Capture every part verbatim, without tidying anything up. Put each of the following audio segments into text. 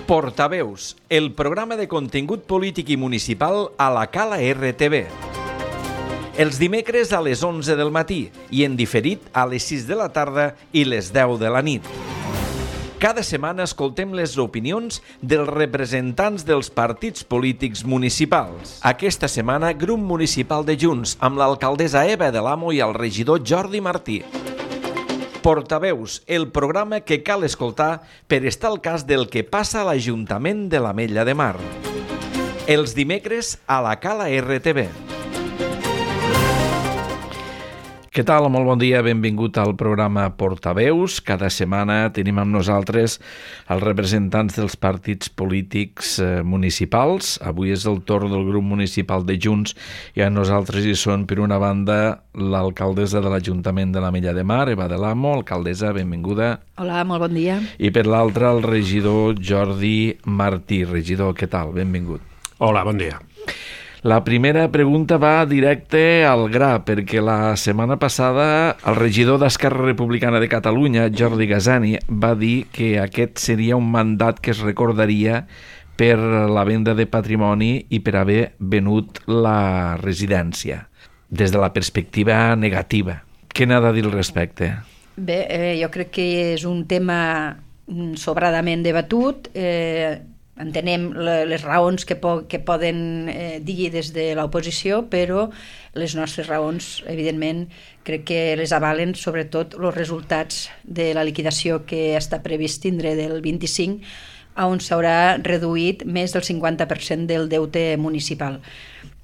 Portaveus, el programa de contingut polític i municipal a la Cala R T V. Els dimecres a les onze del matí i en diferit a les sis de la tarda i les deu de la nit. Cada setmana escoltem les opinions dels representants dels partits polítics municipals. Aquesta setmana, grup municipal de Junts, amb l'alcaldessa Eva de l'Amo i el regidor Jordi Martí. Portaveus, el programa que cal escoltar per estar al cas del que passa a l'Ajuntament de l'Ametlla de Mar. Els dimecres a la Cala R T V. Què tal? Molt bon dia, benvingut al programa Portaveus. Cada setmana tenim amb nosaltres els representants dels partits polítics eh, municipals. Avui és el torn del grup municipal de Junts i a nosaltres hi són, per una banda, l'alcaldessa de l'Ajuntament de l'Ametlla de Mar, Eva de l'Amo. Alcaldessa, benvinguda. Hola, molt bon dia. I per l'altra, el regidor Jordi Martí. Regidor, què tal? Benvingut. Hola, bon dia. La primera pregunta va directe al gra, perquè la setmana passada el regidor d'Esquerra Republicana de Catalunya, Jordi Gasani, va dir que aquest seria un mandat que es recordaria per la venda de patrimoni i per haver venut la residència, des de la perspectiva negativa. Què n'ha de dir al respecte? Bé, eh, jo crec que és un tema sobradament debatut. Eh, entenem les raons que, po que poden eh, dir des de l'oposició, però les nostres raons, evidentment, crec que les avalen, sobretot els resultats de la liquidació que està previst tindre del vint-i-cinc, on s'haurà reduït més del cinquanta per cent del deute municipal.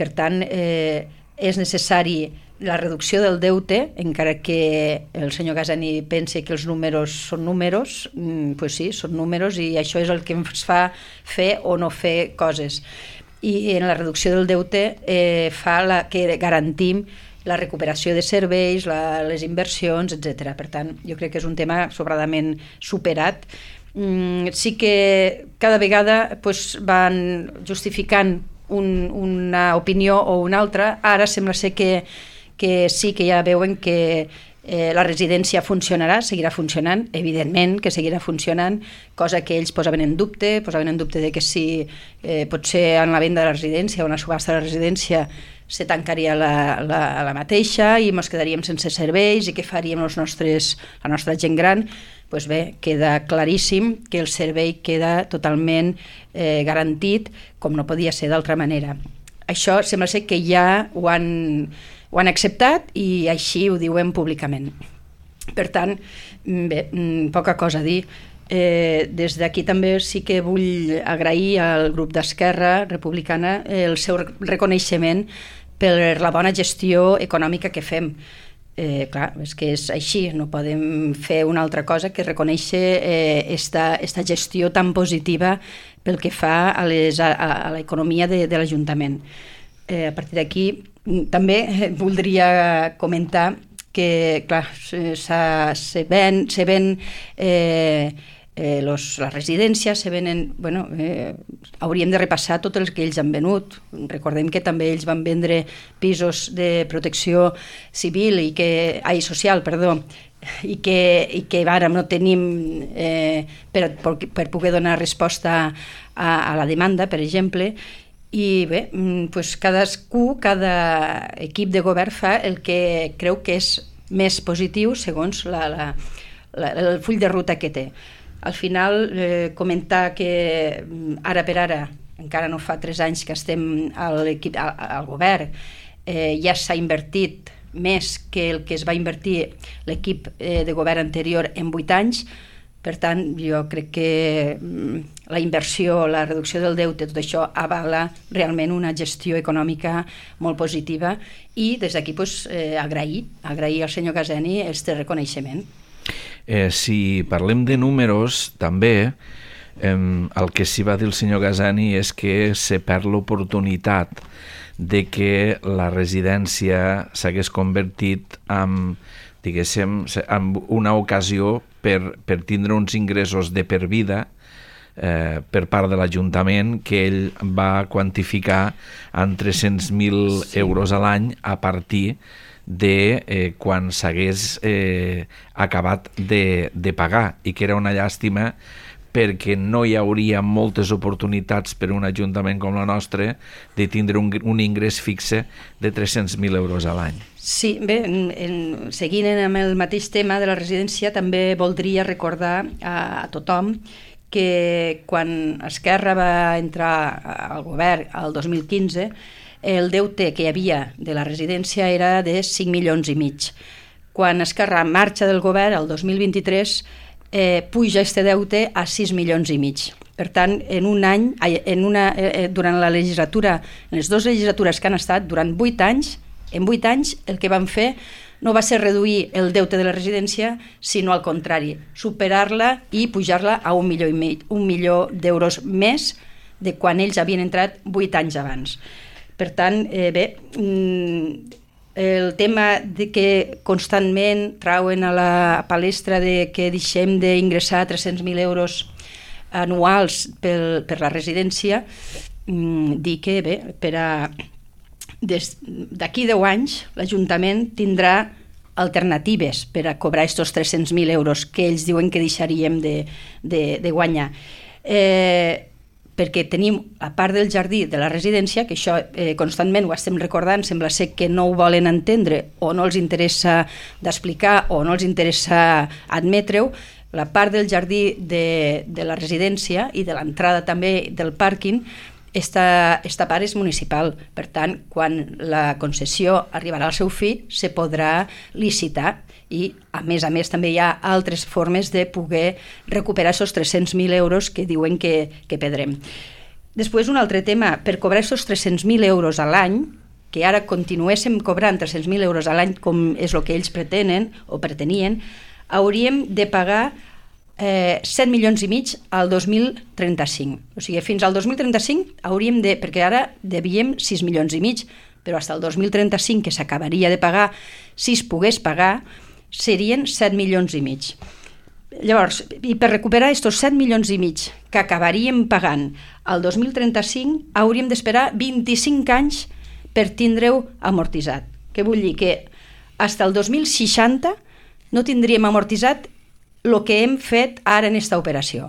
Per tant, eh, és necessari la reducció del deute, encara que el senyor Gasani pensi que els números són números, doncs pues sí, són números i això és el que ens fa fer o no fer coses. I en la reducció del deute eh, fa la, que garantim la recuperació de serveis, la, les inversions, etcètera. Per tant, jo crec que és un tema sobradament superat. Mm, sí que cada vegada pues, van justificant un, una opinió o una altra. Ara sembla ser que que sí que ja veuen que eh, la residència funcionarà, seguirà funcionant, evidentment que seguirà funcionant, cosa que ells posaven en dubte, posaven en dubte de que si eh, potser en la venda de la residència o en la subhasta de la residència se tancaria la, la, la mateixa i ens quedaríem sense serveis i què faríem els nostres, la nostra gent gran. Doncs bé, queda claríssim que el servei queda totalment eh, garantit, com no podia ser d'altra manera. Això sembla ser que ja ho han ho han acceptat i així ho diuen públicament. Per tant, bé, poca cosa a dir. Eh, des d'aquí també sí que vull agrair al grup d'Esquerra Republicana el seu reconeixement per la bona gestió econòmica que fem. Eh, clar, és que és així, no podem fer una altra cosa que reconèixer eh, esta, esta gestió tan positiva pel que fa a, les, a, a l'economia de, de l'Ajuntament. Eh, a partir d'aquí també voldria comentar que, clar, se, se ven, se ven eh, eh, los, les residències, se venen, bueno, eh, hauríem de repassar tot el que ells han venut. Recordem que també ells van vendre pisos de protecció civil i que, ai, social, perdó, i que, i que ara no tenim eh, per, per, per poder donar resposta a, a la demanda, per exemple. I bé, doncs cadascú, cada equip de govern fa el que creu que és més positiu segons la, la, la, el full de ruta que té. Al final, eh, comentar que ara per ara, encara no fa tres anys que estem al, al, al govern, eh, ja s'ha invertit més que el que es va invertir l'equip eh, de govern anterior en vuit anys. Per tant, jo crec que la inversió, la reducció del deute, tot això avala realment una gestió econòmica molt positiva i des d'aquí pues, eh, agrair, agrair al senyor Gasani este reconeixement. Eh, si parlem de números, també, eh, el que sí va dir el senyor Gasani és que se perd l'oportunitat de que la residència s'hagués convertit en, diguéssim, en una ocasió per, per tindre uns ingressos de per vida eh, per part de l'Ajuntament que ell va quantificar en tres-cents mil sí. euros a l'any a partir de eh, quan s'hagués eh, acabat de, de pagar, i que era una llàstima perquè no hi hauria moltes oportunitats per un ajuntament com la nostra de tindre un, un ingrés fixe de tres-cents mil euros a l'any. Sí, bé, en, en, seguint amb el mateix tema de la residència, també voldria recordar a, a tothom que quan Esquerra va entrar al govern el dos mil quinze, el deute que hi havia de la residència era de cinc milions i mig. Quan Esquerra marxa del govern el dos mil vint-i-tres, eh, puja este deute a sis milions i mig. Per tant, en un any, en una, eh, durant la legislatura, en les dues legislatures que han estat, durant vuit anys, en vuit anys el que van fer no va ser reduir el deute de la residència, sinó al contrari, superar-la i pujar-la a un milió i mig, un milió d'euros més de quan ells havien entrat vuit anys abans. Per tant, eh, bé, el tema de que constantment trauen a la palestra de que deixem d'ingressar tres-cents mil euros anuals per, per la residència, dir que bé, per a d'aquí deu anys l'Ajuntament tindrà alternatives per a cobrar aquests tres-cents mil euros que ells diuen que deixaríem de, de, de guanyar. Eh, perquè tenim, a part del jardí de la residència, que això eh, constantment ho estem recordant, sembla ser que no ho volen entendre o no els interessa d'explicar o no els interessa admetre-ho, la part del jardí de, de la residència i de l'entrada també del pàrquing, esta, esta part és municipal. Per tant, quan la concessió arribarà al seu fi, se podrà licitar i, a més a més, també hi ha altres formes de poder recuperar aquests tres-cents mil euros que diuen que, que perdrem. Després, un altre tema, per cobrar aquests tres-cents mil euros a l'any, que ara continuéssim cobrant tres-cents mil euros a l'any, com és el que ells pretenen o pretenien, hauríem de pagar eh, set milions i mig al dos mil trenta-cinc. O sigui, fins al dos mil trenta-cinc hauríem de, perquè ara devíem sis milions i mig, però fins al dos mil trenta-cinc, que s'acabaria de pagar, si es pogués pagar, serien set milions i mig. Llavors, i per recuperar aquests set milions i mig que acabaríem pagant al dos mil trenta-cinc, hauríem d'esperar vint-i-cinc anys per tindre-ho amortitzat. Què vull dir? Que fins al dos mil seixanta no tindríem amortitzat el que hem fet ara en aquesta operació.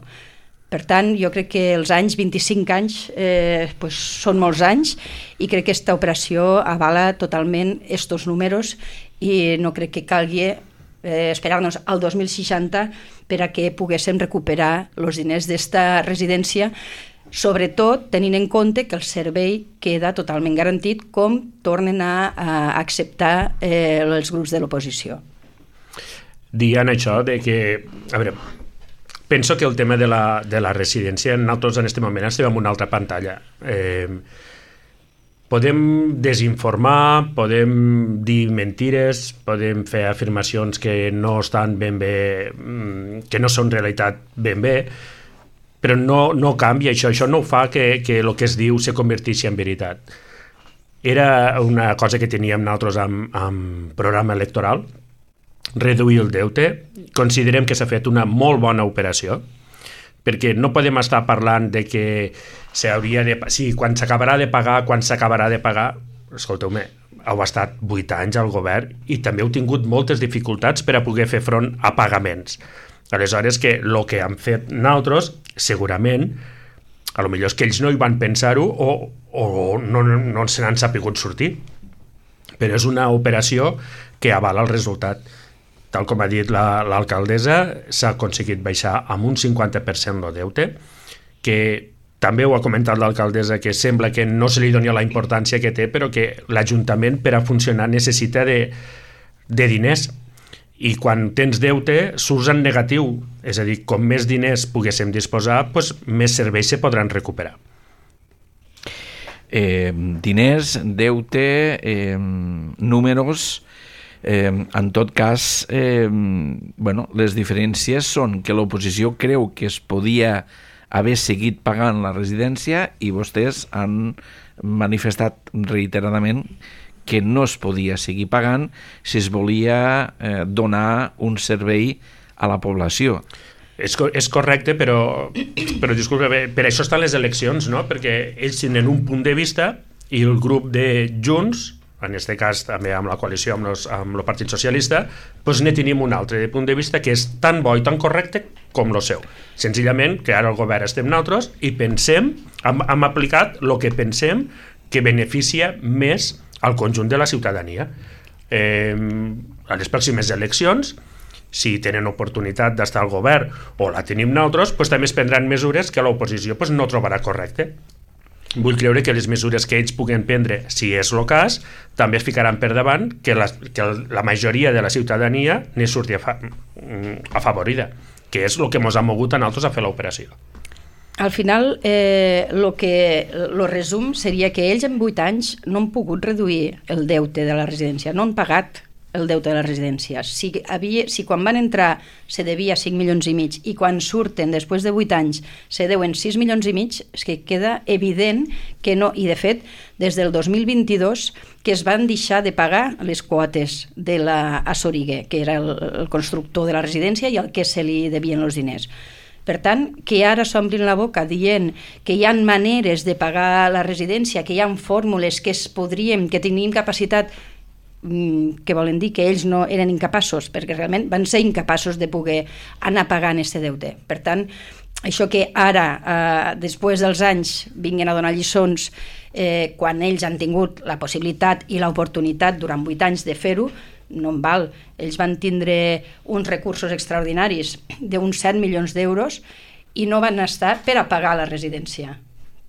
Per tant, jo crec que els anys, vint-i-cinc anys, eh, pues són molts anys i crec que aquesta operació avala totalment aquests números i no crec que calgui eh, esperar-nos al dos mil seixanta per a que poguéssim recuperar els diners d'esta residència, sobretot tenint en compte que el servei queda totalment garantit com tornen a, a acceptar eh, els grups de l'oposició. Dient això de que, a veure, penso que el tema de la, de la residència, nosaltres en aquest moment estem en una altra pantalla. Eh, podem desinformar, podem dir mentires, podem fer afirmacions que no estan ben bé, que no són realitat ben bé, però no, no canvia això, això no fa que, que el que es diu se converteixi en veritat. Era una cosa que teníem nosaltres amb, amb programa electoral, reduir el deute. Considerem que s'ha fet una molt bona operació, perquè no podem estar parlant de que s'hauria de... Sí, quan s'acabarà de pagar, quan s'acabarà de pagar... Escolteu-me, heu estat vuit anys al govern i també heu tingut moltes dificultats per a poder fer front a pagaments. Aleshores, que el que han fet nosaltres, segurament, a lo millor és que ells no hi van pensar-ho o, o no, no, no se n'han sapigut sortir. Però és una operació que avala el resultat. Tal com ha dit la, l'alcaldessa, s'ha aconseguit baixar amb un cinquanta per cent el deute, que també ho ha comentat l'alcaldessa, que sembla que no se li doni la importància que té, però que l'Ajuntament per a funcionar necessita de, de diners. I quan tens deute, surts en negatiu. És a dir, com més diners poguéssim disposar, doncs més serveis se podran recuperar. Eh, diners, deute, eh, números... Eh, en tot cas, eh, bueno, les diferències són que l'oposició creu que es podia haver seguit pagant la residència i vostès han manifestat reiteradament que no es podia seguir pagant si es volia eh, donar un servei a la població. És, és correcte, però, però disculpa, per això estan les eleccions, no? Perquè ells tenen un punt de vista i el grup de Junts en aquest cas també amb la coalició amb, los, amb el Partit Socialista, doncs ne tenim un altre punt de vista que és tan bo i tan correcte com el seu. Senzillament que ara el govern estem nosaltres i pensem, hem, hem aplicat el que pensem que beneficia més al conjunt de la ciutadania. Eh, a les pròximes eleccions, si tenen oportunitat d'estar al govern o la tenim nosaltres, doncs també es prendran mesures que l'oposició doncs, no trobarà correcte. Vull creure que les mesures que ells puguen prendre, si és el cas, també es ficaran per davant que la, que la majoria de la ciutadania ne surti afavorida, que és el que ens ha mogut a nosaltres a fer l'operació. Al final, eh, lo que, lo resum seria que ells en vuit anys no han pogut reduir el deute de la residència, no han pagat el deute de la residència. Si, havia, si quan van entrar se devia cinc milions i mig i quan surten després de vuit anys se deuen sis milions i mig, és que queda evident que no, i de fet des del dos mil vint-i-dos que es van deixar de pagar les quotes de la Soriguer, que era el, el constructor de la residència i al que se li devien els diners. Per tant, que ara s'omplin la boca dient que hi ha maneres de pagar la residència, que hi ha fórmules que es podríem, que tenim capacitat, que volen dir que ells no eren incapaços, perquè realment van ser incapaços de poder anar pagant aquest deute. Per tant, això que ara, eh, després dels anys, vinguin a donar lliçons eh, quan ells han tingut la possibilitat i l'oportunitat durant vuit anys de fer-ho, no en val. Ells van tindre uns recursos extraordinaris d'uns set milions d'euros i no van estar per a pagar la residència.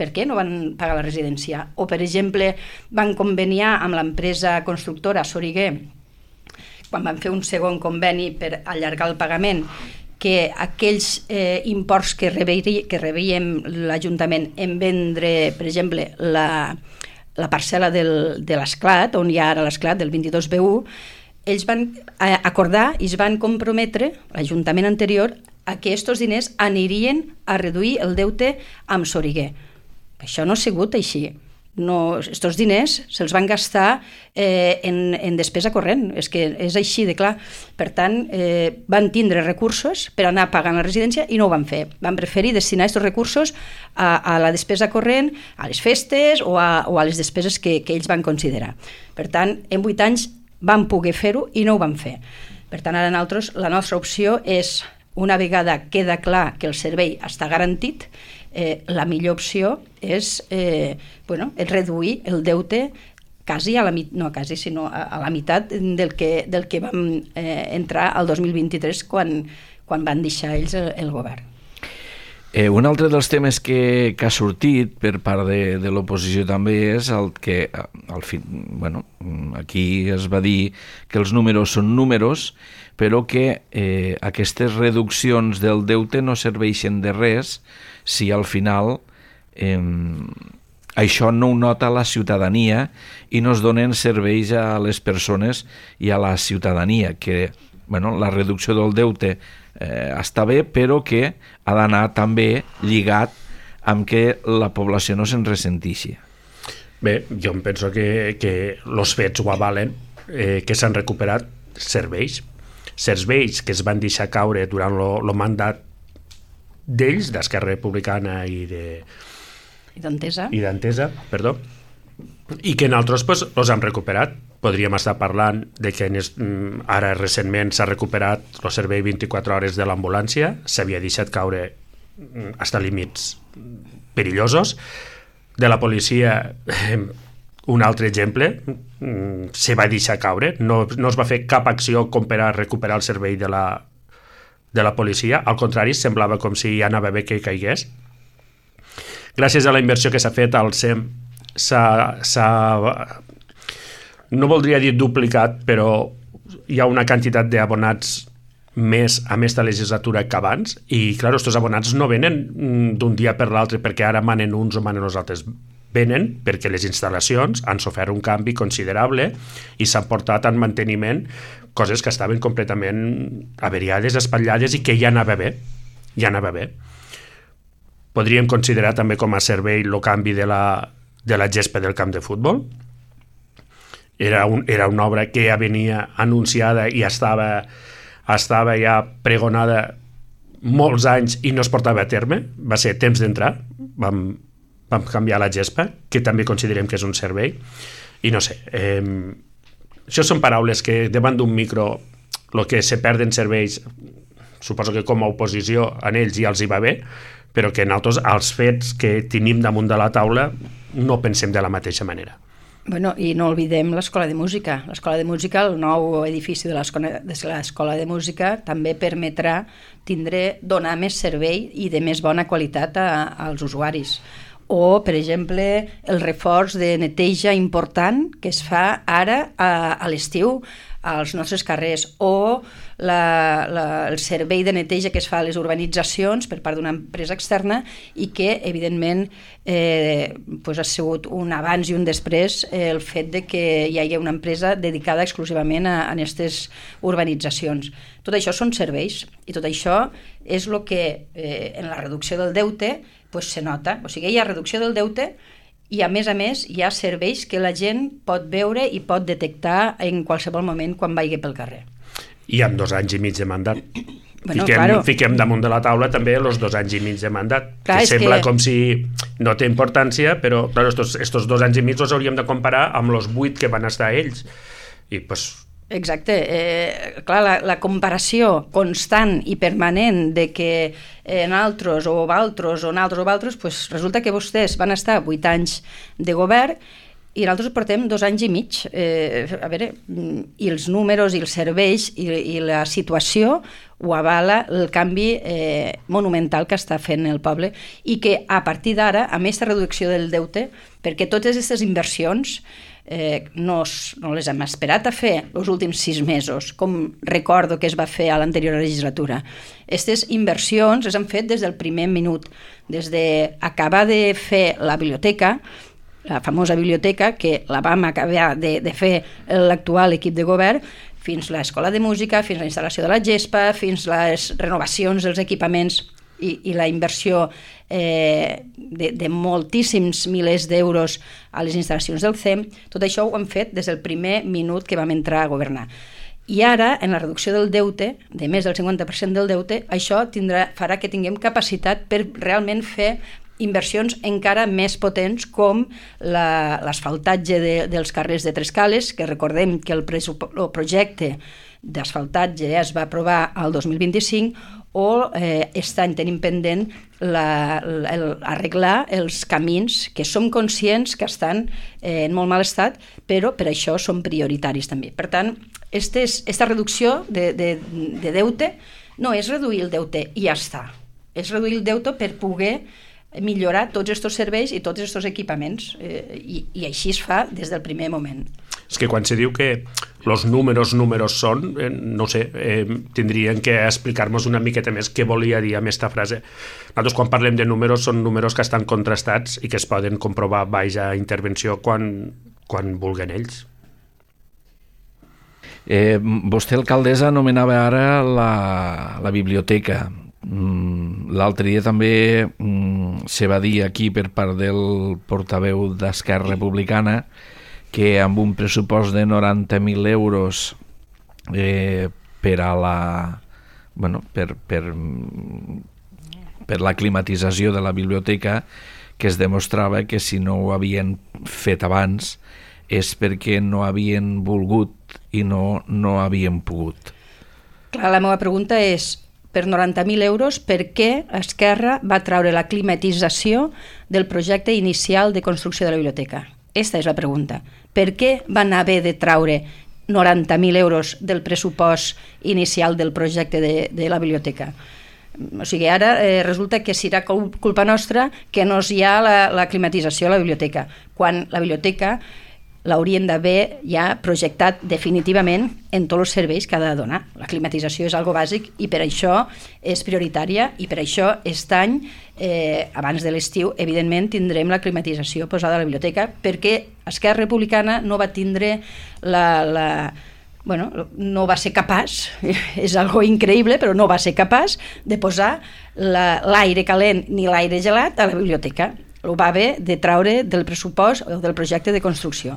Per què no van pagar la residència? O, per exemple, van conveniar amb l'empresa constructora Soriguer, quan van fer un segon conveni per allargar el pagament, que aquells eh, imports que, reberi, que rebíem l'Ajuntament en vendre, per exemple, la, la parcel·la del, de l'Esclat, on hi ha ara l'Esclat, del vint-i-dos B u, ells van acordar i es van comprometre, l'Ajuntament anterior, a que aquests diners anirien a reduir el deute amb Soriguer. Això no ha sigut així. No, estos diners se'ls van gastar eh, en, en despesa corrent, és que és així de clar. Per tant, eh, van tindre recursos per anar pagant la residència i no ho van fer. Van preferir destinar aquests recursos a, a la despesa corrent, a les festes o a, o a les despeses que, que ells van considerar. Per tant, en vuit anys van poder fer-ho i no ho van fer. Per tant, ara nosaltres, la nostra opció és, una vegada queda clar que el servei està garantit, Eh, la millor opció és, eh, bueno, és reduir el deute quasi a la, no quasi, sinó a, a la meitat del que, del que vam eh, entrar al dos mil vint-i-tres quan, quan van deixar ells el, el govern. Eh, un altre dels temes que, que ha sortit per part de, de l'oposició també és el que al fi, bueno, aquí es va dir que els números són números, però que eh, aquestes reduccions del deute no serveixen de res si al final eh, això no ho nota la ciutadania i no es donen serveis a les persones i a la ciutadania, que bueno, la reducció del deute eh, està bé, però que ha d'anar també lligat amb que la població no se'n ressentixi. Bé, jo em penso que, que els fets ho avalen, eh, que s'han recuperat serveis, serveis que es van deixar caure durant el mandat d'ells, d'Esquerra Republicana i de i d'Entesa, i d'Entesa, perdó, i que nosaltres pues, els hem recuperat. Podríem estar parlant de que ara recentment s'ha recuperat el servei vint-i-quatre hores de l'ambulància, s'havia deixat caure fins a límits perillosos. De la policia, un altre exemple, se va deixar caure, no, no es va fer cap acció com per a recuperar el servei de la de la policia, al contrari, semblava com si ja anava bé que caigués. Gràcies a la inversió que s'ha fet al S E M s'ha, no voldria dir duplicat, però hi ha una quantitat d'abonats més a aquesta legislatura que abans, i clar, aquests abonats no venen d'un dia per l'altre perquè ara manen uns o manen els altres, venen perquè les instal·lacions han sofert un canvi considerable i s'han portat en manteniment coses que estaven completament averiades, espatllades i que ja anava bé, ja anava bé. Podríem considerar també com a servei el canvi de la, de la gespa del camp de futbol. Era, un, era una obra que ja venia anunciada i estava, estava ja pregonada molts anys i no es portava a terme. Va ser temps d'entrar, vam, vam canviar la gespa, que també considerem que és un servei. I no sé, eh, això són paraules que davant d'un micro el que se perden serveis, suposo que com a oposició en ells ja els hi va bé, però que nosaltres els fets que tenim damunt de la taula no pensem de la mateixa manera. Bueno, i no oblidem l'Escola de Música. L'Escola de Música, el nou edifici de l'Escola de l'Escola de Música, també permetrà tindre, donar més servei i de més bona qualitat a, als usuaris. O, per exemple, el reforç de neteja important que es fa ara a, a l'estiu als nostres carrers, o la, la, el servei de neteja que es fa a les urbanitzacions per part d'una empresa externa i que, evidentment, eh, pues ha sigut un abans i un després eh, el fet de que hi hagi una empresa dedicada exclusivament a, a aquestes urbanitzacions. Tot això són serveis i tot això és el que eh, en la reducció del deute pues, se nota. O sigui, hi ha reducció del deute i, a més a més, hi ha serveis que la gent pot veure i pot detectar en qualsevol moment quan vagi pel carrer. I amb dos anys i mig de mandat. Bueno, fiquem, claro. fiquem damunt de la taula també els dos anys i mig de mandat. Clar, que sembla que... com si no té importància, però claro, estos, estos dos anys i mig els hauríem de comparar amb els vuit que van estar ells. I pues, Exacte. Eh, clar, la, la comparació constant i permanent de que en altres o altres o en altres o altres, pues resulta que vostès van estar vuit anys de govern i nosaltres portem dos anys i mig. Eh, a veure, i els números i els serveis i, i la situació ho avala el canvi eh, monumental que està fent el poble i que a partir d'ara, amb aquesta reducció del deute, perquè totes aquestes inversions Eh, no, no les hem esperat a fer els últims sis mesos, com recordo que es va fer a l'anterior legislatura. Aquestes inversions les han fet des del primer minut, des d'acabar de fer la biblioteca, la famosa biblioteca, que la vam acabar de, de fer l'actual equip de govern, fins l'escola de música, fins la instal·lació de la gespa, fins les renovacions dels equipaments i, i la inversió eh, de, de moltíssims milers d'euros a les instal·lacions del C E M. Tot això ho hem fet des del primer minut que vam entrar a governar. I ara, en la reducció del deute, de més del cinquanta per cent del deute, això tindrà, farà que tinguem capacitat per realment fer inversions encara més potents com l'asfaltatge de, dels carrers de Trescales, que recordem que el, el projecte d'asfaltatge es va aprovar el dos mil vint-i-cinc, o eh, aquest any tenim pendent la, la, el, arreglar els camins que som conscients que estan eh, en molt mal estat, però per això són prioritaris també. Per tant, aquesta reducció de, de, de deute no és reduir el deute i ja està, és reduir el deute per poder millorar tots aquests serveis i tots aquests equipaments eh, i, i així es fa des del primer moment. És que quan se diu que els números números són, eh, no sé, eh, tindrien que explicar-nos una miqueta més què volia dir amb aquesta frase. Nosaltres quan parlem de números són números que estan contrastats i que es poden comprovar baix a intervenció quan, quan vulguen ells. Eh, vostè, alcaldessa, anomenava ara la, la biblioteca. L'altre dia també mm, se va dir aquí per part del portaveu d'Esquerra Republicana que amb un pressupost de noranta mil euros eh, per a la bueno, per, per, per la climatització de la biblioteca, que es demostrava que si no ho havien fet abans és perquè no havien volgut i no, no havien pogut. Clar, la meva pregunta és, per noranta mil euros, per què Esquerra va treure la climatització del projecte inicial de construcció de la biblioteca? Aquesta és la pregunta. Per què van haver de treure noranta mil euros del pressupost inicial del projecte de, de la biblioteca? O sigui, ara eh, resulta que serà culpa nostra que no hi ha la, la climatització a la biblioteca, quan la biblioteca l'haurien d'haver ja projectat definitivament en tots els serveis que ha de donar. La climatització és algo bàsic i per això és prioritària i per això aquest any, eh, abans de l'estiu, evidentment tindrem la climatització posada a la biblioteca, perquè Esquerra Republicana no va tindre la... la bueno, no va ser capaç, és algo increïble, però no va ser capaç de posar l'aire calent ni l'aire gelat a la biblioteca. Ho va haver de treure del pressupost o del projecte de construcció.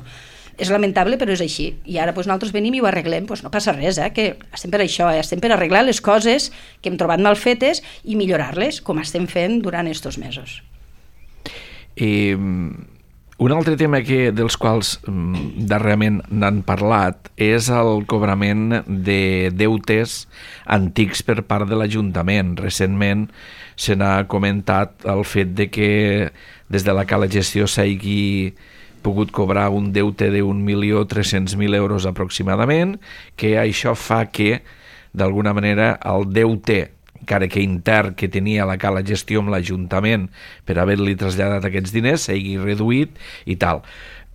És lamentable, però és així. I ara doncs, nosaltres venim i ho arreglem. Doncs no passa res, eh? Que estem per això, eh? Estem per arreglar les coses que hem trobat mal fetes i millorar-les, com estem fent durant aquests mesos. I Un altre tema que, dels quals mm, darrerament n'han parlat és el cobrament de deutes antics per part de l'Ajuntament. Recentment se n'ha comentat el fet de que des de la Cala Gestió s'hagi pogut cobrar un deute d'un milió tres-cents mil euros aproximadament, que això fa que, d'alguna manera, el deute encara que intern que tenia la Cala Gestió amb l'Ajuntament per haver-li traslladat aquests diners s'hagi reduït i tal.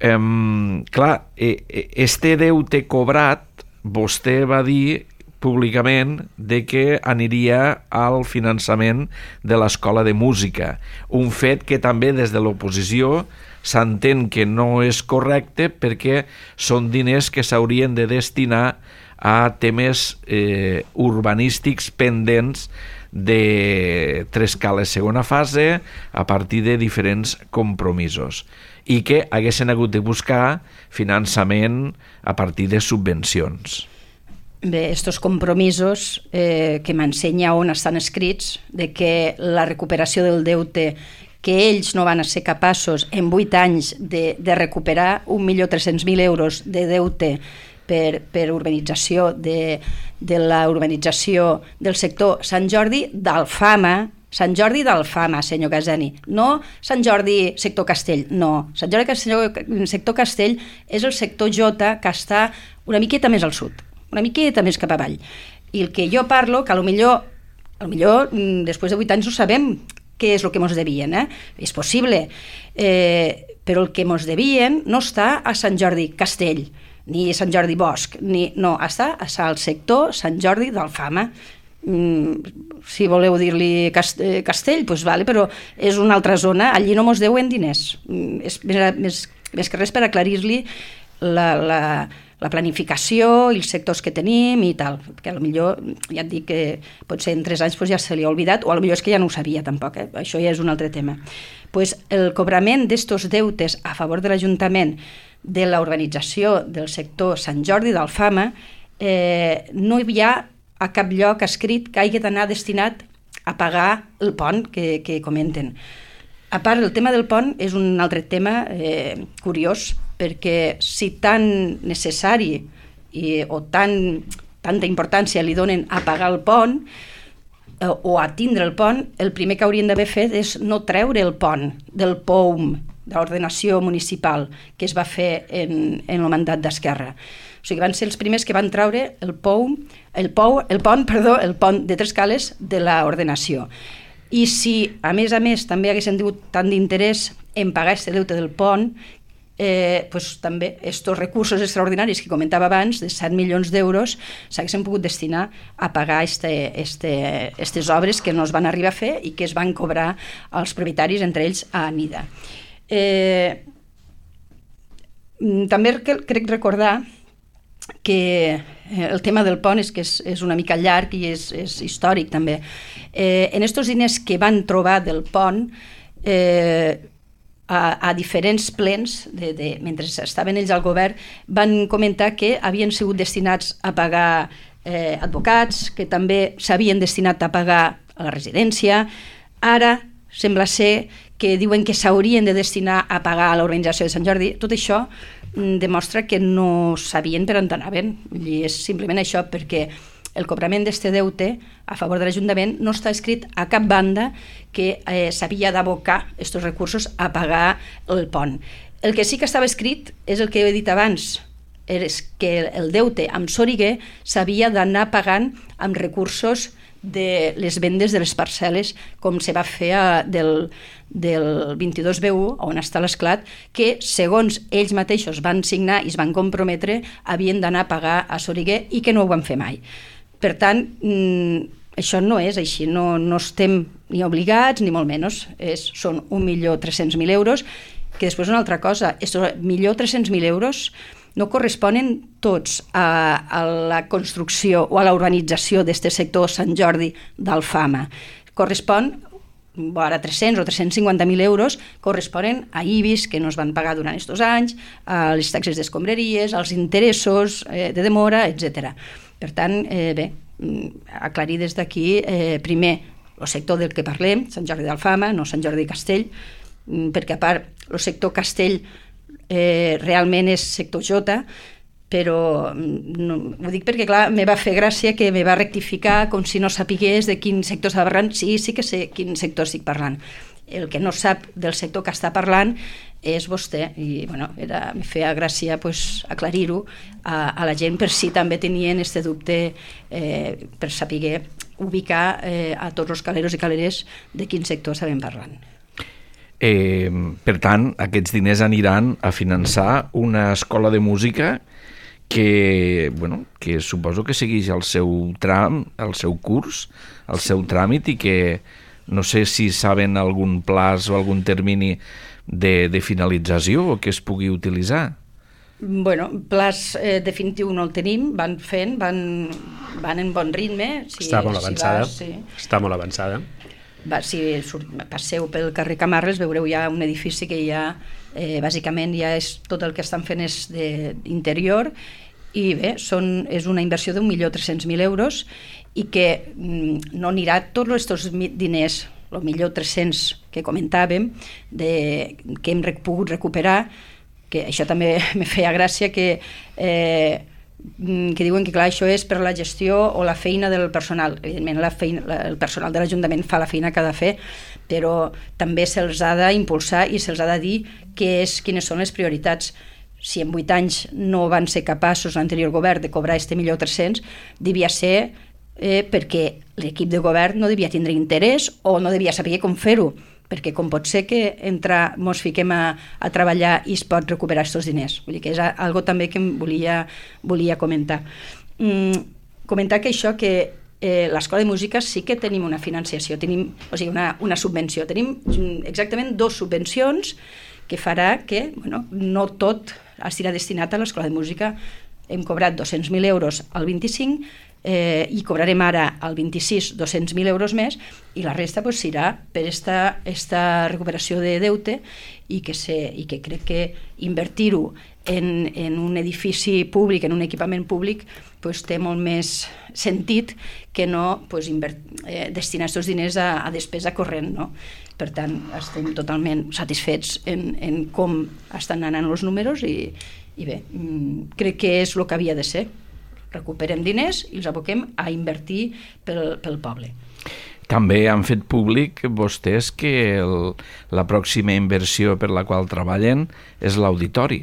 Um, clar, este deute cobrat, vostè va dir públicament de que aniria al finançament de l'Escola de Música, un fet que també des de l'oposició s'entén que no és correcte perquè són diners que s'haurien de destinar a temes eh, urbanístics pendents de tres cales segona fase a partir de diferents compromisos i que haguessin hagut de buscar finançament a partir de subvencions. Bé, estos compromisos eh, que m'ensenya on estan escrits, de que la recuperació del deute que ells no van ser capaços en vuit anys de, de recuperar un milió tres-cents mil euros de deute per, per urbanització de, de la urbanització del sector Sant Jordi d'Alfama, Sant Jordi d'Alfama, senyor Casani, no Sant Jordi sector Castell, no. Sant Jordi sector Castell és el sector J que està una miqueta més al sud, una miqueta més cap avall. I el que jo parlo, que potser, potser després de vuit anys no sabem què és el que ens devien, eh? És possible, eh, però el que ens devien no està a Sant Jordi Castell, ni Sant Jordi Bosch, ni, no, està al sector Sant Jordi d'Alfama. Mm, si voleu dir-li Castell, doncs vale, però és una altra zona, allí no ens deuen diners. Mm, és més, més, més que res per aclarir-li la, la, la planificació i els sectors que tenim i tal, perquè potser ja et dic que potser en tres anys pues, ja se li ha oblidat, o potser és que ja no ho sabia tampoc, eh? Això ja és un altre tema. Pues el cobrament d'estos deutes a favor de l'Ajuntament de la urbanització del sector Sant Jordi d'Alfama eh, no hi ha a cap lloc escrit que hagi d'anar destinat a pagar el pont que, que comenten. A part, el tema del pont és un altre tema eh, curiós, perquè si tan necessari i, o tan, tanta importància li donen a pagar el pont eh, o a tindre el pont, el primer que haurien d'haver fet és no treure el pont del P O U M, de l'ordenació municipal, que es va fer en, en el mandat d'Esquerra. O sigui, van ser els primers que van treure el P O U M, el, P O U, el pont, perdó, el pont de tres cales de l'ordenació. I si, a més a més, també haguessin tingut tant d'interès en pagar aquest deute del pont, eh, pues, també estos recursos extraordinaris que comentava abans, de set milions d'euros, s'haguessin pogut destinar a pagar este, este, estes obres que no es van arribar a fer i que es van cobrar als propietaris, entre ells a Anida. Eh, també crec recordar que el tema del pont és que és, és una mica llarg i és, és històric també. Eh, en estos diners que van trobar del pont, eh, a, a diferents plens, de, de, mentre estaven ells al govern, van comentar que havien sigut destinats a pagar eh, advocats, que també s'havien destinat a pagar a la residència. Ara sembla ser que diuen que s'haurien de destinar a pagar a l'organització de Sant Jordi. Tot això demostra que no sabien per on anaven. I és simplement això, perquè el cobrament d'este deute a favor de l'Ajuntament no està escrit a cap banda que eh, s'havia d'abocar aquests recursos a pagar el pont. El que sí que estava escrit és el que he dit abans, és que el deute amb Soriguer s'havia d'anar pagant amb recursos de les vendes de les parcel·les, com se va fer a, del, del vint-i-dos B u, on està l'esclat, que segons ells mateixos van signar i es van comprometre, havien d'anar a pagar a Soriguer i que no ho van fer mai. Per tant, mmm, això no és així, no, no estem ni obligats ni molt menys, és, són un milió tres-cents mil euros, que després una altra cosa, un milió tres-cents mil euros no corresponen tots a, a la construcció o a la urbanització d'aquest sector Sant Jordi d'Alfama. Correspon, ara tres-cents o tres-cents cinquanta mil euros, corresponen a I B I S que no es van pagar durant aquests anys, a les taxes d'escombraries, als interessos eh, de demora, etcètera. Per tant, eh, bé, aclarir des d'aquí, eh, primer, el sector del que parlem, Sant Jordi d'Alfama, no Sant Jordi Castell, perquè a part el sector castell eh, realment és sector J, però no, ho dic perquè, clar, me va fer gràcia que me va rectificar com si no sapigués de quin sector estava parlant. Sí, sí que sé quin sector estic parlant. El que no sap del sector que està parlant és vostè, i bueno, era, me feia gràcia pues, aclarir-ho a, a la gent per si també tenien este dubte, eh, per saber ubicar eh, a tots els caleros i caleres de quin sector estàvem parlant. Eh, per tant, aquests diners aniran a finançar una escola de música que, bueno, que suposo que segueix el seu tram, el seu curs, el seu tràmit, i que no sé si saben algun plaç o algun termini de, de finalització o que es pugui utilitzar. Bueno, plaç eh, definitiu no el tenim, van fent, van, van en bon ritme. Si, està molt avançada, si vas, sí. està molt avançada. Va, si surt, passeu pel carrer Camarles veureu ja un edifici que ja eh, bàsicament ja és tot el que estan fent és d'interior, i bé, són, és una inversió d'un milió tres-cents mil euros i que mm, no anirà tots aquests diners, el milió tres-cents que comentàvem, de, que hem pogut recuperar, que això també me feia gràcia, que, eh, que diuen que clar, això és per la gestió o la feina del personal. Evidentment la feina, la, el personal de l'Ajuntament fa la feina que ha de fer, però també se'ls ha d'impulsar i se'ls ha de dir que és, quines són les prioritats. Si en vuit anys no van ser capaços l'anterior govern de cobrar este milió tres-cents, devia ser eh, perquè l'equip de govern no devia tindre interès o no devia saber com fer-ho, perquè com pot ser que entrar, mos fiquem a, a treballar i es pot recuperar aquests diners. Vull dir que és algo també que em volia, volia comentar. Mm, comentar que això, que eh, l'Escola de Música sí que tenim una financiació, tenim, o sigui, una, una subvenció. Tenim exactament dos subvencions que farà que bueno, no tot estirà destinat a l'Escola de Música. Hem cobrat dos-cents mil euros al vint-i-cinc eh, i cobrarem ara al vint-i-sis dos-cents mil euros més, i la resta pues, serà per esta, esta recuperació de deute, i que, se, i que crec que invertir-ho en, en un edifici públic, en un equipament públic, pues, té molt més sentit que no pues, invert, eh, destinar aquests diners a, a despesa corrent, no? Per tant, estem totalment satisfets en, en com estan anant els números i, i bé, crec que és el que havia de ser. Recuperem diners i els aboquem a invertir pel, pel poble. També han fet públic vostès que el, la pròxima inversió per la qual treballen és l'auditori.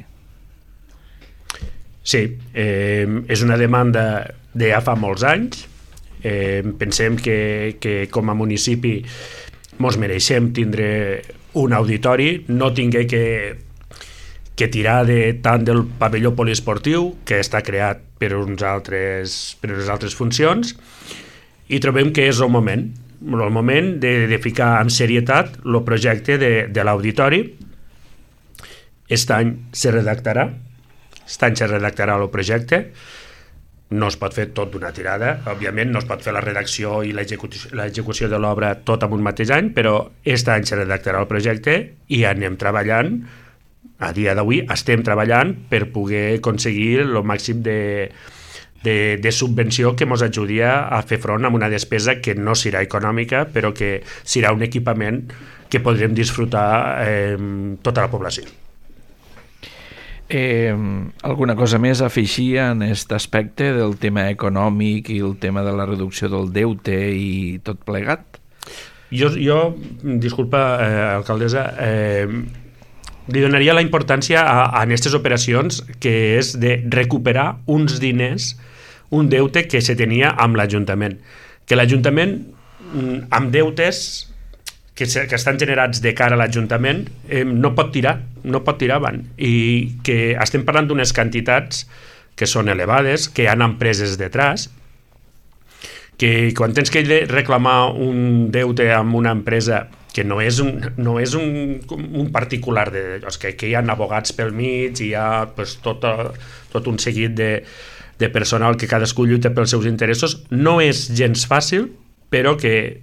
Sí, eh, és una demanda de ja fa molts anys. Eh, pensem que, que com a municipi mos mereixem tindre un auditori, no tingué que, que tirar de, tant del pavelló poliesportiu, que està creat per, uns altres, per unes altres funcions, i trobem que és el moment, el moment de, de ficar amb serietat el projecte de, de l'auditori. Aquest any se redactarà, aquest any se redactarà el projecte. No es pot fer tot d'una tirada, òbviament no es pot fer la redacció i l'execució de l'obra tot en un mateix any, però aquest any se redactarà el projecte i anem treballant, a dia d'avui estem treballant per poder aconseguir el màxim de, de, de subvenció que ens ajudi a fer front a una despesa que no serà econòmica, però que serà un equipament que podrem disfrutar eh, tota la població. Eh, alguna cosa més a afegir en aquest aspecte del tema econòmic i el tema de la reducció del deute i tot plegat? Jo, jo disculpa, eh, alcaldessa, eh, li donaria la importància a, a aquestes operacions, que és de recuperar uns diners, un deute que se tenia amb l'Ajuntament. Que l'Ajuntament, amb deutes que, se, que estan generats de cara a l'Ajuntament, eh, no pot tirar, no pot tirar avant. I que estem parlant d'unes quantitats que són elevades, que hi ha empreses detrás, que quan tens que reclamar un deute amb una empresa que no és un, no és un, un particular, de, que, que hi ha abogats pel mig, i hi ha pues, tot, tot un seguit de, de personal que cadascú lluita pels seus interessos, no és gens fàcil, però que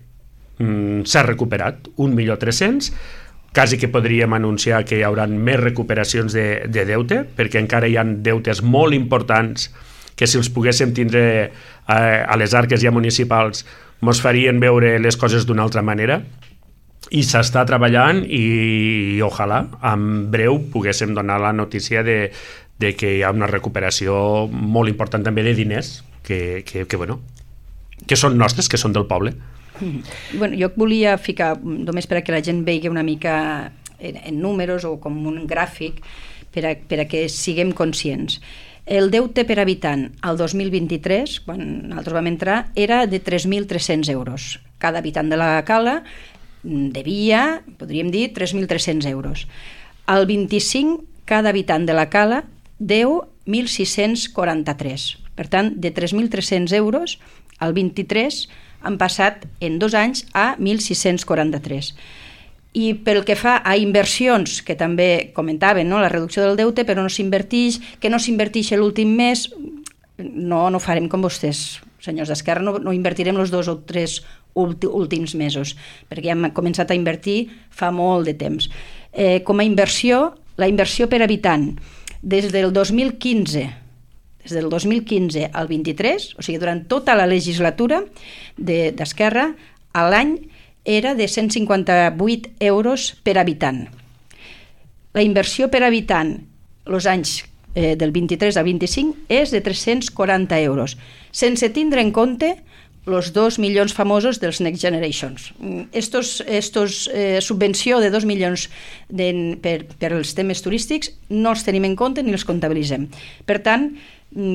s'ha recuperat un milió tres-cents, quasi que podríem anunciar que hi haurà més recuperacions de, de deute, perquè encara hi ha deutes molt importants que si els poguéssim tindre eh, a les arques ja municipals mos farien veure les coses d'una altra manera, i s'està treballant i, i ojalà en breu poguéssim donar la notícia de, de que hi ha una recuperació molt important també de diners que, que, que, bueno, que són nostres, que són del poble. Mm. Bueno, jo volia ficar, només per a que la gent vegi una mica en, en números o com un gràfic per a, per a que siguem conscients. El deute per habitant al dos mil vint-i-tres, quan nosaltres vam entrar, era de tres mil tres-cents euros. Cada habitant de la cala devia, podríem dir, tres mil tres-cents euros. Al vint-i-cinc, cada habitant de la cala deu mil sis-cents quaranta-tres. Per tant, de tres mil tres-cents euros al vint-i-tres han passat en dos anys a mil sis-cents quaranta-tres. I pel que fa a inversions, que també comentaven, no? La reducció del deute, però no s'inverteix, que no s'inverteix l'últim mes, no, no farem com vostès, senyors d'Esquerra, no, no invertirem els dos o tres últims mesos, perquè ja hem començat a invertir fa molt de temps. Eh, com a inversió, la inversió per habitant, des del dos mil quinze, des del dos mil quinze al vint-i-tres, o sigui, durant tota la legislatura d'Esquerra, a l'any era de cent cinquanta-vuit euros per habitant. La inversió per habitant els anys eh, del vint-i-tres al vint-i-cinc és de tres-cents quaranta euros, sense tindre en compte els dos milions famosos dels Next Generations. Estos, estos eh, subvenció de dos milions de, per, per als temes turístics no els tenim en compte ni els comptabilitzem. Per tant,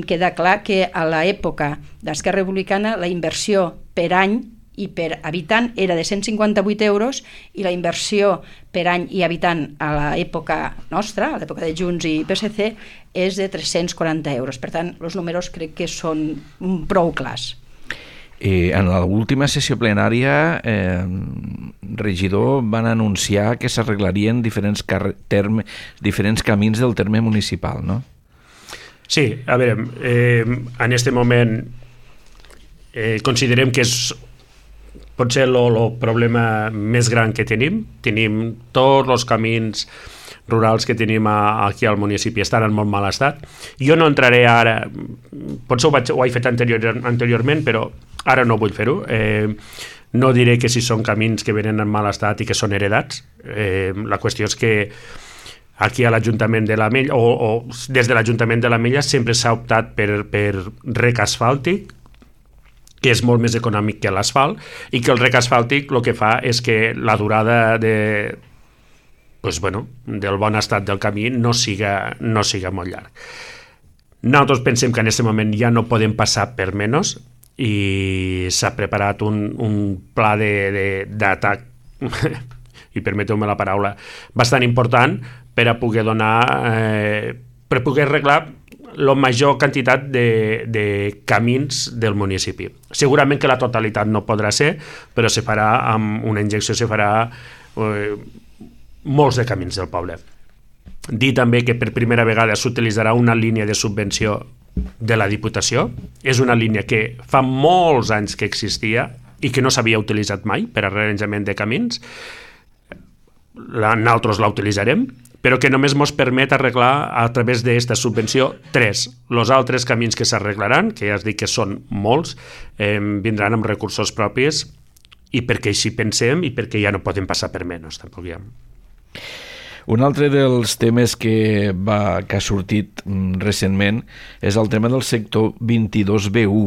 queda clar que a l'època d'Esquerra Republicana la inversió per any i per habitant era de cent cinquanta-vuit euros i la inversió per any i habitant a l'època nostra, a l'època de Junts i P S C, és de tres-cents quaranta euros. Per tant, els números crec que són prou clars. Eh, en l'última sessió plenària, eh, regidor, van anunciar que s'arreglarien diferents, terme, diferents camins del terme municipal, no? Sí, a veure, eh, en aquest moment eh, considerem que és potser el problema més gran que tenim. Tenim tots els camins rurals que tenim a, aquí al municipi estan en molt mal estat. Jo no entraré ara, potser ho, vaig, ho he fet anterior, anteriorment, però ara no vull fer-ho. Eh, no diré que si són camins que venen en mal estat i que són heredats. Eh, la qüestió és que aquí a l'Ajuntament de l'Ametlla, o, o des de l'Ajuntament de l'Ametlla, sempre s'ha optat per, per rec asfàltic, que és molt més econòmic que l'asfalt, i que el rec asfàltic el que fa és que la durada de, pues bueno, del bon estat del camí no siga, no siga molt llarg. Nosaltres pensem que en aquest moment ja no podem passar per menys i s'ha preparat un, un pla d'atac, i permeteu-me la paraula, bastant important per a poder donar, eh, per poder arreglar la major quantitat de, de camins del municipi. Segurament que la totalitat no podrà ser, però se farà amb una injecció, se farà eh, molts de camins del poble. Dir també que per primera vegada s'utilitzarà una línia de subvenció de la Diputació. És una línia que fa molts anys que existia i que no s'havia utilitzat mai per arranjament de camins. La, nosaltres la utilitzarem, però que només ens permet arreglar a través d'aquesta subvenció tres. Els altres camins que s'arreglaran, que ja es dic que són molts, eh, vindran amb recursos propis i perquè així pensem i perquè ja no podem passar per menys. Tampoc ja. Un altre dels temes que, va, que ha sortit recentment és el tema del sector vint-i-dos B u.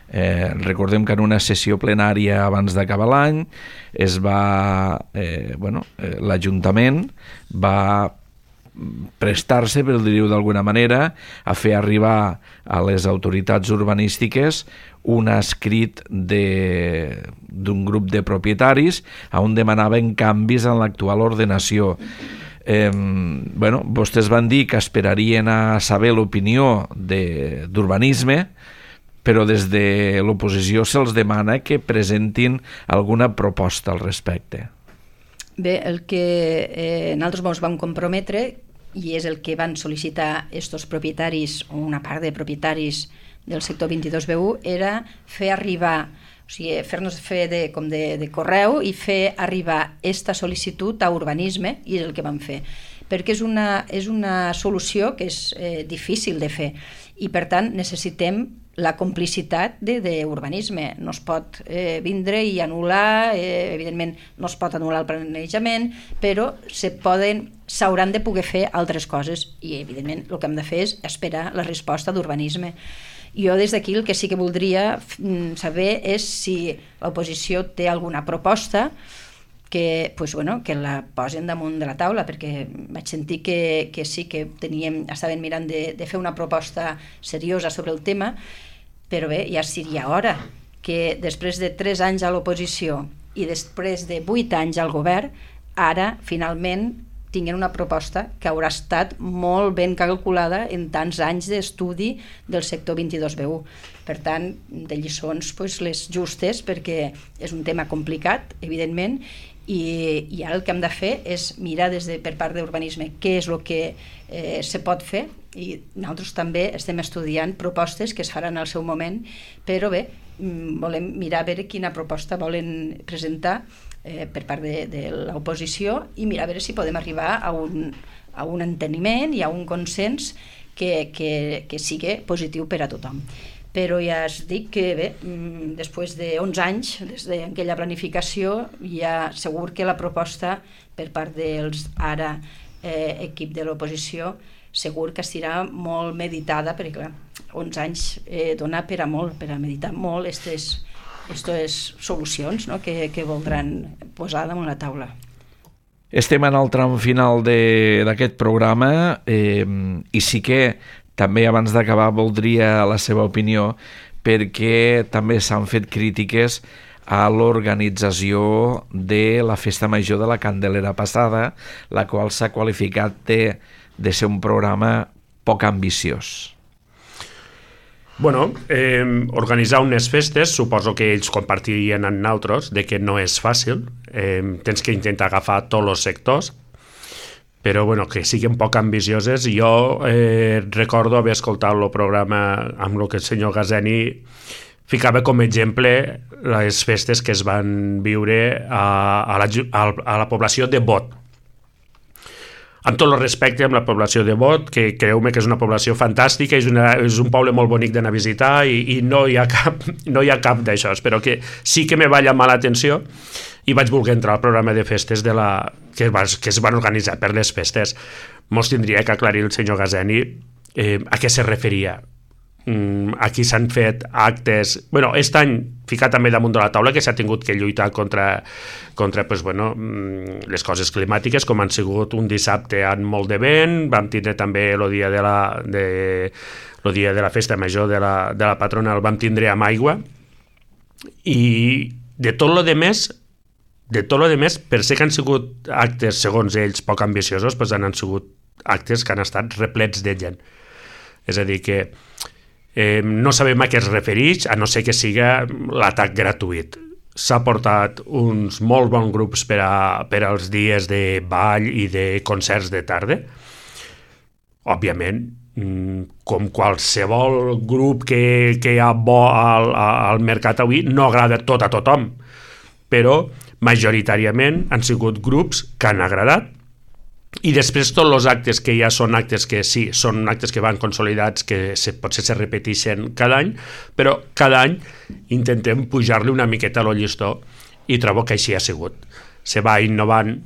Eh, recordem que en una sessió plenària abans d'acabar l'any es va, eh, bueno, eh, l'Ajuntament va prestar-se, per dir-ho d'alguna manera, a fer arribar a les autoritats urbanístiques un escrit d'un grup de propietaris on demanaven canvis en l'actual ordenació. Eh, bueno, vostès van dir que esperarien a saber l'opinió d'urbanisme, però des de l'oposició se'ls demana que presentin alguna proposta al respecte. Bé, el que eh, nosaltres ens vam comprometre, i és el que van sol·licitar estos propietaris, o una part de propietaris del sector vint-i-dos B u, era fer arribar, o sigui, fer-nos fer de, com de, de correu i fer arribar esta sol·licitud a urbanisme, i és el que vam fer. Perquè és una, és una solució que és eh, difícil de fer, i per tant necessitem la complicitat d'urbanisme. No es pot eh, vindre i anul·lar, eh, evidentment no es pot anul·lar el planejament, però se poden s'hauran de poder fer altres coses i, evidentment, el que hem de fer és esperar la resposta d'urbanisme. Jo des d'aquí el que sí que voldria saber és si l'oposició té alguna proposta que, pues, bueno, que la posen damunt de la taula, perquè vaig sentir que, que sí que teníem, estaven mirant de, de fer una proposta seriosa sobre el tema, però bé, ja seria hora que després de tres anys a l'oposició i després de vuit anys al govern, ara, finalment, tinguin una proposta que haurà estat molt ben calculada en tants anys d'estudi del sector vint-i-dos B u. Per tant, de lliçons, pues, les justes, perquè és un tema complicat, evidentment, i, i ara el que hem de fer és mirar des de, per part d'urbanisme què és el que eh, se pot fer, i nosaltres també estem estudiant propostes que es faran al seu moment, però bé, volem mirar a veure quina proposta volen presentar eh, per part de, de l'oposició i mirar a veure si podem arribar a un, a un enteniment i a un consens que, que, que sigui positiu per a tothom. Però ja es dic que bé, després d'onze anys, des d'aquella planificació, ja segur que la proposta per part dels ara eh, equip de l'oposició segur que estirà molt meditada, perquè clar, onze anys eh, dona per a molt, per a meditar molt aquestes solucions, no?, que, que voldran posar damunt la taula. Estem en el tram final d'aquest programa eh, i sí que també abans d'acabar voldria la seva opinió, perquè també s'han fet crítiques a l'organització de la Festa Major de la Candelera passada, la qual s'ha qualificat de, de ser un programa poc ambiciós. Bueno, eh, organitzar unes festes, suposo que ells compartirien amb nosaltres, de que no és fàcil, eh, tens que intentar agafar tots els sectors, però bueno, que siguin poc ambicioses. Jo eh, recordo haver escoltat el programa amb el que el senyor Gazeni ficava com a exemple les festes que es van viure a, a, la, a la població de Bot. Amb tot el respecte amb la població de Bot, que creu-me que és una població fantàstica, és, una, és un poble molt bonic d'anar a visitar i, i no hi ha cap, no hi ha cap d'això, però que sí que me va llamar l'atenció i vaig voler entrar al programa de festes de la, que, va, que es van organitzar per les festes. Mos tindria que aclarir el senyor Gazeni eh, a què se referia. Mm, aquí s'han fet actes... Bueno, aquest any ficat també damunt de la taula que s'ha tingut que lluitar contra, contra pues, bueno, les coses climàtiques, com han sigut un dissabte amb molt de vent, vam tindre també el dia de la, de, el dia de la festa major de la, de la patrona, el vam tindre amb aigua, i de tot lo de més, de tot lo de més, per ser que han sigut actes, segons ells, poc ambiciosos, doncs han sigut actes que han estat replets de gent. És a dir, que eh, no sabem a què es refereix, a no ser que siga l'atac gratuït. S'ha portat uns molt bons grups per, a, per als dies de ball i de concerts de tarda. Òbviament, com qualsevol grup que, que hi ha bo al, al mercat avui, no agrada tot a tothom, però majoritàriament han sigut grups que han agradat, i després tots els actes que ja són actes que sí, són actes que van consolidats, que se, potser se repeteixen cada any, però cada any intentem pujar-li una miqueta a lo llistó, i trobo que així ha sigut. Se va innovant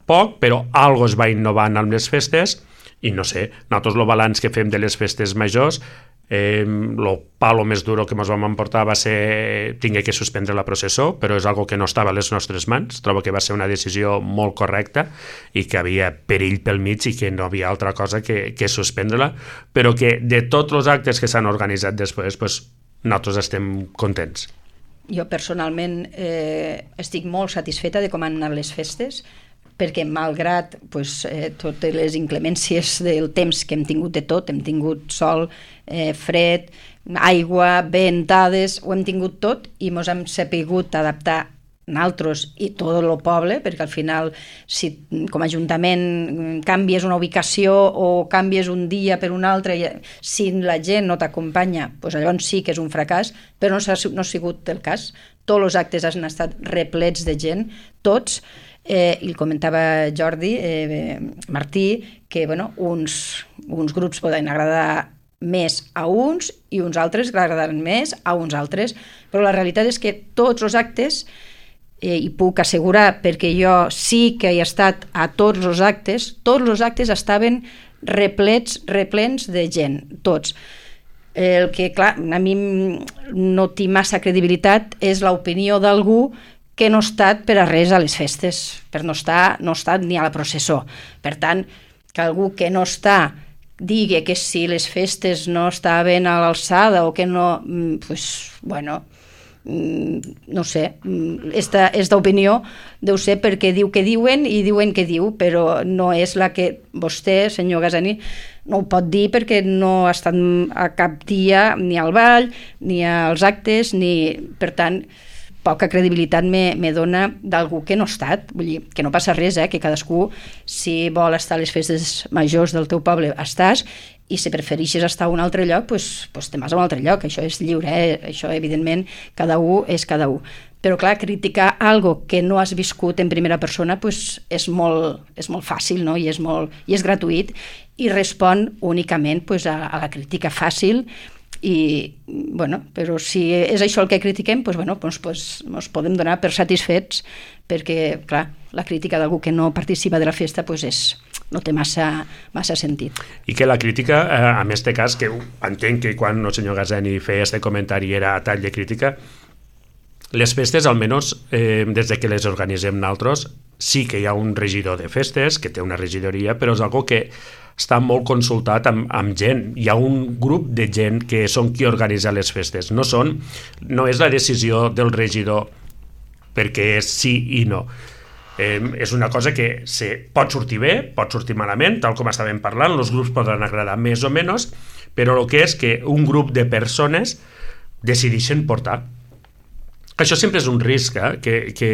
poc, però algo es va innovant amb les festes, i no sé, nosaltres el balanç que fem de les festes majors, eh, el palo més duro que ens vam emportar va ser tingué que suspendre la processó, però és algo que no estava a les nostres mans. Trobo que va ser una decisió molt correcta i que havia perill pel mig i que no havia altra cosa que, que suspendre-la, però que de tots els actes que s'han organitzat després, pues, nosaltres estem contents. Jo personalment eh, estic molt satisfeta de com han anat les festes, perquè malgrat pues, eh, totes les inclemències del temps que hem tingut de tot, hem tingut sol, eh, fred, aigua, ventades, ho hem tingut tot i ens hem sapigut adaptar nosaltres i tot el poble, perquè al final si com a Ajuntament canvies una ubicació o canvies un dia per un altre, si la gent no t'acompanya, pues llavors sí que és un fracàs, però no ha, no ha sigut el cas. Tots els actes han estat replets de gent, tots. Eh, i comentava Jordi eh, Martí que bueno, uns, uns grups poden agradar més a uns i uns altres que agradaran més a uns altres, però la realitat és que tots els actes, eh, i puc assegurar perquè jo sí que he estat a tots els actes, tots els actes estaven replets, replens de gent, tots. El que, clar, a mi no té massa credibilitat és l'opinió d'algú que no ha estat per a res a les festes, per no estar, no ha estat ni a la processó. Per tant, que algú que no està digui que si les festes no estaven a l'alçada o que no, pues, bueno, no sé, esta, esta opinió deu ser perquè diu que diuen i diuen que diu, però no és la que vostè, senyor Gazani, no ho pot dir perquè no ha estat a cap dia ni al ball, ni als actes, ni... Per tant, poca credibilitat me, me dona d'algú que no ha estat. Vull dir, que no passa res, eh? Que cadascú, si vol estar a les festes majors del teu poble, estàs, i si prefereixes estar a un altre lloc, doncs, doncs te'n vas a un altre lloc. Això és lliure, eh? Això, evidentment, cada un és cada un. Però, clar, criticar algo que no has viscut en primera persona doncs és, molt, és molt fàcil, no? I és, molt, i és gratuït, i respon únicament doncs, a, a la crítica fàcil. I, bueno, però si és això el que critiquem, doncs, bueno, doncs, doncs, ens podem donar per satisfets, perquè, clar, la crítica d'algú que no participa de la festa doncs és, no té massa, massa sentit. I que la crítica, eh, en este cas, que entenc que quan el senyor Gazani feia este comentari era a tall de crítica, les festes, almenys eh, des de que les organitzem nosaltres, sí que hi ha un regidor de festes, que té una regidoria, però és algo que està molt consultat amb, amb gent. Hi ha un grup de gent que són qui organitza les festes. No, són, no és la decisió del regidor perquè és sí i no. Eh, és una cosa que se pot sortir bé, pot sortir malament, tal com estàvem parlant, els grups poden agradar més o menys, però el que és que un grup de persones decideixen portar. Això sempre és un risc, eh? que, que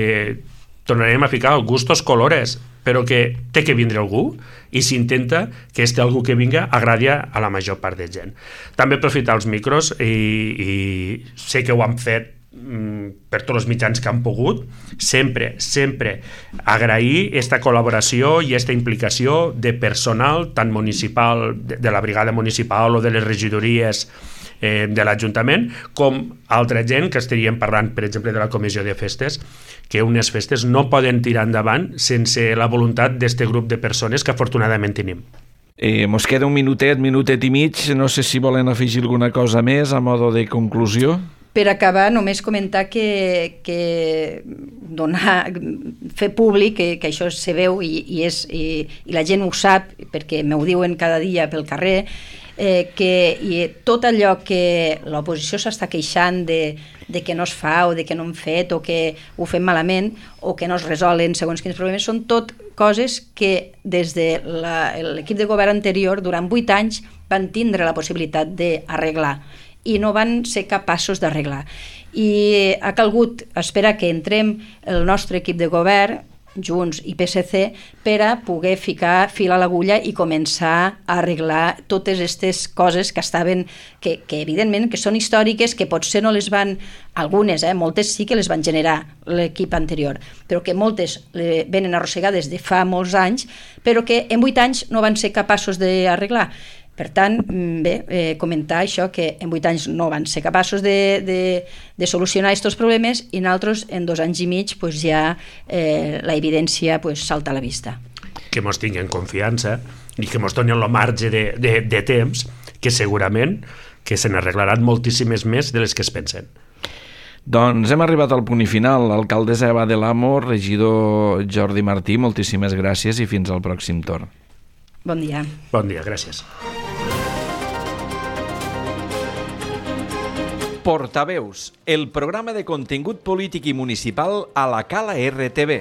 tornarem a ficar gustos colores, però que té que vindre algú i s'intenta que este algú que vinga agradi a la major part de gent. També aprofitar els micros i, i sé que ho han fet per tots els mitjans que han pogut, sempre, sempre agrair aquesta col·laboració i aquesta implicació de personal, tant municipal, de la brigada municipal o de les regidories eh, de l'Ajuntament, com altra gent que estaríem parlant, per exemple, de la comissió de festes, que unes festes no poden tirar endavant sense la voluntat d'este grup de persones que afortunadament tenim. Eh, mos queda un minutet, minutet i mig, no sé si volen afegir alguna cosa més a modo de conclusió. Per acabar, només comentar que, que donar, fer públic que, que això se veu i, i, és, i, i la gent ho sap, perquè m'ho diuen cada dia pel carrer, eh, que i tot allò que l'oposició s'està queixant de, de que no es fa o de que no hem fet o que ho fem malament o que no es resolen segons quins problemes, són tot coses que des de l'equip de govern anterior durant vuit anys van tindre la possibilitat d'arreglar i no van ser capaços d'arreglar. I ha calgut esperar que entrem el nostre equip de govern, Junts i P S C, per a poder ficar fil a l'agulla i començar a arreglar totes aquestes coses que estaven, que, que evidentment que són històriques, que potser no les van, algunes, eh, moltes sí que les van generar l'equip anterior, però que moltes le, venen arrossegades de fa molts anys, però que en vuit anys no van ser capaços d'arreglar. Per tant, bé, eh, comentar això, que en vuit anys no van ser capaços de, de, de solucionar aquests problemes i nosaltres en dos anys i mig pues, ja eh, la evidència pues, salta a la vista. Que mos tinguin confiança i que mos donin el marge de, de, de temps que segurament que se n'arreglaran moltíssimes més de les que es pensen. Doncs hem arribat al punt i final. Alcaldessa Eva de l'Amo, regidor Jordi Martí, moltíssimes gràcies i fins al pròxim torn. Bon dia. Bon dia, gràcies. Portaveus, el programa de contingut polític i municipal a la Cala R T V.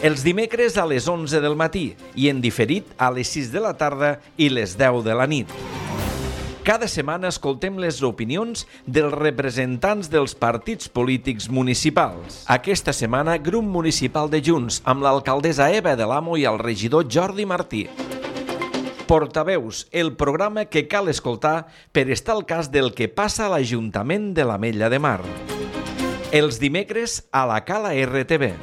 Els dimecres a les onze del matí i en diferit a les sis de la tarda i les deu de la nit. Cada setmana escoltem les opinions dels representants dels partits polítics municipals. Aquesta setmana, grup municipal de Junts, amb l'alcaldessa Eva de l'Amo i el regidor Jordi Martí. Portaveus, el programa que cal escoltar per estar al cas del que passa a l'Ajuntament de l'Ametlla de Mar. Els dimecres a la Cala R T V.